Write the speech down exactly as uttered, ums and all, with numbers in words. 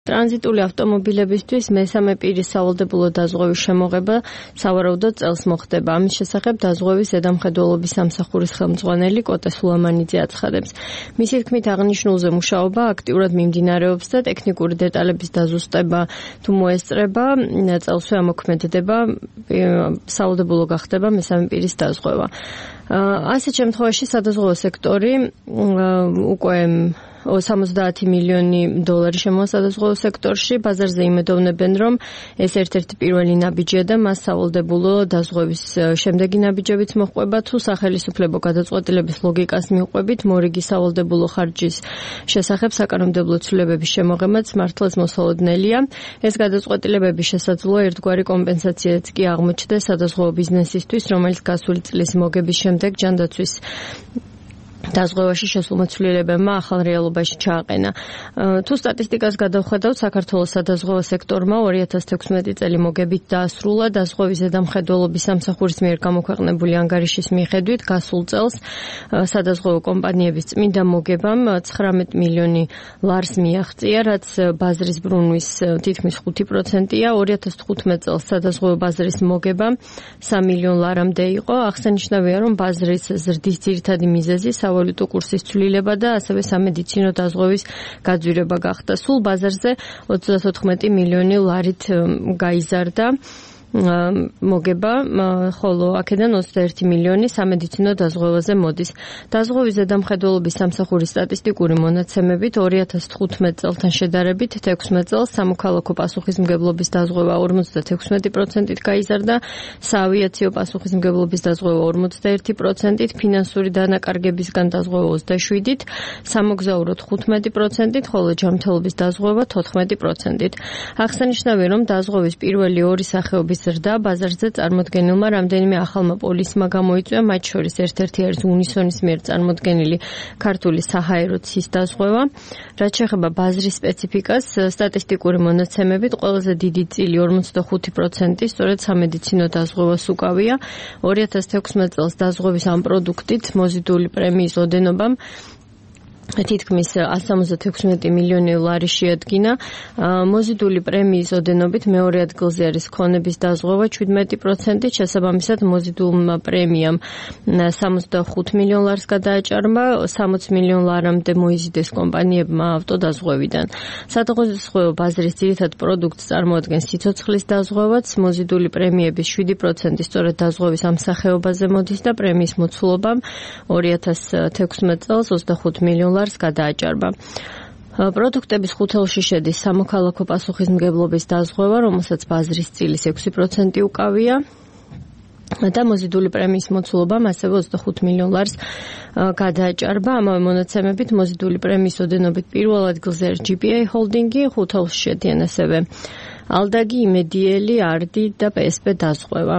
ტრანზიტული ავტომობილებისთვის მესამე პირის სავალდებულო დაზღვევის შემოღება სავარაუდოდ წელს მოხდება. ამის შესახებ დაზღვევის ზედამხედველობის სამსახურის ხელმძღვანელი კოტე სულამანიძე აცხადებს. მისი თქმით, აღნიშნულზე მუშაობა აქტიურად მიმდინარეობს და ტექნიკური დეტალების დაზუსტება თუ მოესწრება, წელსვე ამოქმედდება სავალდებულო გახდება მესამე პირის დაზღვევა. ასეთ შემთხვევაში სადაზღვევო სექტორი უკვე სამოცდაათი მილიონი დოლარი შემოვა სადაზღვევო სექტორში. ბაზარზე იმედოვნებენ, რომ ეს ერთ-ერთი პირველი ნაბიჯია და მას სავალდებულო დაზღვევის შემდეგი ნაბიჯებიც მოჰყვება. თუ სახელისუფლებო გადაწყვეტილების ლოგიკას მიუყვებით, მორიგი სავალდებულო ხარჯის შესახებ საკანონმდებლო ცვლილებების შემოღებაც მართლაც მოსალოდნელია. ეს გადაწყვეტილებები შესაძლოა ერთგვარი კომპენსაციაც კი აღმოჩნდეს სადაზღვევო ბიზნესისთვის, რომელიც გასული წლის მოგების შემდეგ ჯანდაცვის დაზღვევაში შესულმა ცვლილებებმა ახალ რეალობაში ჩააყენა. თუ სტატისტიკას გადავხედავთ, საქართველოს სადაზღვევო სექტორმა ორი ათას თექვსმეტი წელი მოგებით დაასრულა. დაზღვევის ზედამხედველობის სამსახურის მიერ გამოქვეყნებული ანგარიშის მიხედვით, გასულ წელს სადაზღვევო კომპანიების წმინდა მოგებამ ცხრამეტი მილიონი ლარს მიაღწია, რაც ბაზრის ბრუნვის თითქმის ხუთი პროცენტია. ორი ათას თხუთმეტ წელს სადაზღვევო ბაზრის მოგება სამი მილიონ ლარამდე იყო. აღსანიშნავია, რომ ბაზრის ზრდის ძირითადი მიზეზი სავალუტო კურსის ცვლილება და ასევე სამედიცინო დაზღვევის გაძვირება გახდა. სულ ბაზარზე ოცდათოთხმეტი მილიონი ლარით გაიზარდა მოგება, ხოლო აქედან ოცდაერთი მილიონი სამედიცინო დაზღვევაზე მოდის. დაზღვევის ზედამხედველობის სამსახურის სტატისტიკური მონაცემებით ორი ათას თხუთმეტ წელთან შედარებით თექვსმეტ წელს სამოქალაქო პასუხისმგებლობის დაზღვევა ორმოცდათექვსმეტი პროცენტით გაიზარდა, საავიაციო პასუხისმგებლობის დაზღვევა ორმოცდაერთი პროცენტით, ფინანსური დანაკარგებისგან დაზღვევა ოცდაშვიდით, სამოგზაურო თხუთმეტი პროცენტით, ხოლო ჯანმრთელობის დაზღვევა თოთხმეტი პროცენტით. აღსანიშნავია, რომ დაზღვევის პირველი ორი სახეობის ზრდა ბაზარზე წარმოდგენილმა რამდენიმე ახალმა პოლისმა გამოიწვია, მათ შორის ერთ-ერთი არის უნისონის მიერ წარმოდგენილი ქართული საჰაერო ცის დაზღვევა. რაც შეეხება ბაზრის სპეციფიკას, სტატისტიკური მონაცემებით ყველაზე დიდი წილი ორმოცდახუთი პროცენტი სწორედ სამედიცინო დაზღვევას უკავია. ორი ათას თექვსმეტ წელს დაზღვევის ამ პროდუქტით მოზიდული პრემიის ოდენობამ თითქმის ასი სამოცდათექვსმეტი მილიონი ლარი შეადგინა. მოზიდული პრემიის ოდენობით მეორე ადგილზე არის ქონების დაზღვევა შვიდმეტი პროცენტით, შესაბამისად მოზიდულმა პრემიამ სამოცდახუთ მილიონ ლარს გადააჭარბა, სამოცი მილიონ ლარამდე მოიზიდეს კომპანიებმა ავტოდაზღვევიდან. სადაზღვევო ბაზრის ძირითად პროდუქტს წარმოადგენს სიცოცხლის დაზღვევაც, მოზიდული პრემიების შვიდი პროცენტი სწორედ დაზღვევის ამ სახეობაზე მოდის და პრემიის მოცულობამ ორი ათას თექვსმეტ წელს ოცდახუთ მილიონ ლარს გადააჭარბა. პროდუქტების ხუთეულში შედის სამოქალაქო პასუხისმგებლობის დაზღვევა, რომელსაც ბაზრის წილის ექვსი პროცენტი უკავია და მოზიდული პრემიის მოცულობამ ასევე ოცდახუთ მილიონ ლარს გადააჭარბა. ამავე მონაცემებით მოზიდული პრემიის ოდენობით პირველ ადგილზე არის ჯი პი ეი ჰოლდინგი, ხუთეულში შედიან ასევე ალდაგი, იმედიელი, არდი და პე ეს პე დაზღვევა.